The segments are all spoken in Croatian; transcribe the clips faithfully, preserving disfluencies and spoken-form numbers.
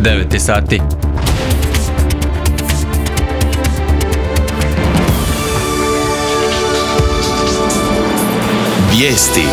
devet sati. Vijesti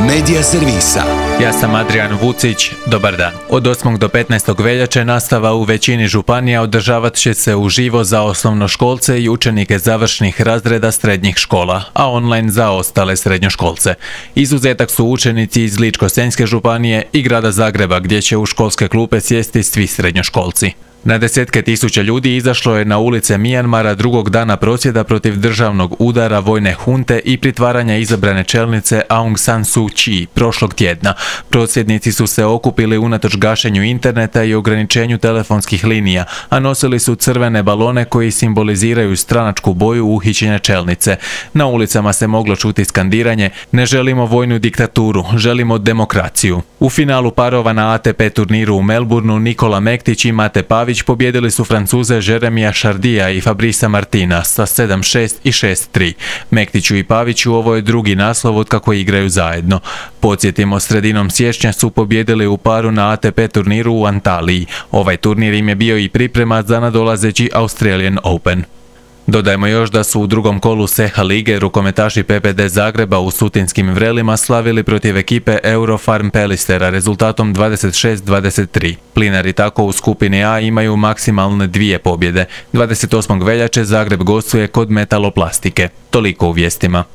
Medija servisa. Ja sam Adrian Vucić, dobar dan. Od osmog do petnaestog veljače nastava u većini županija održavat će se uživo za osnovnoškolce i učenike završnih razreda srednjih škola, a online za ostale srednjoškolce. Izuzetak su učenici iz Ličko-senjske županije i grada Zagreba, gdje će u školske klupe sjesti svi srednjoškolci. Na desetke tisuća ljudi izašlo je na ulice Mijanmara drugog dana prosvjeda protiv državnog udara vojne hunte i pritvaranja izabrane čelnice Aung San Suu Kyi prošlog tjedna. Prosvjednici su se okupili unatoč gašenju interneta i ograničenju telefonskih linija, a nosili su crvene balone koji simboliziraju stranačku boju uhićene čelnice. Na ulicama se moglo čuti skandiranje: "Ne želimo vojnu diktaturu, želimo demokraciju." U finalu parova na A T P turniru u Melbourneu Nikola Mektić i Mate Pavić pobjedili su Francuze Jeremija Chardija i Fabrisa Martina sa sedam šest i šest tri. Mektiću i Paviću ovo je drugi naslov od kako igraju zajedno. Podsjetimo, sredinom siječnja su pobjedili u paru na A T P turniru u Antaliji. Ovaj turnir im je bio i priprema za nadolazeći Australian Open. Dodajmo još da su u drugom kolu S E H A lige rukometaši P P D Zagreba u Sutinskim Vrelima slavili protiv ekipe Eurofarm Pelistera rezultatom dvadeset šest dvadeset tri. Plinari tako u skupini A imaju maksimalne dvije pobjede. dvadeset osmog veljače Zagreb gostuje kod Metaloplastike. Toliko u vijestima.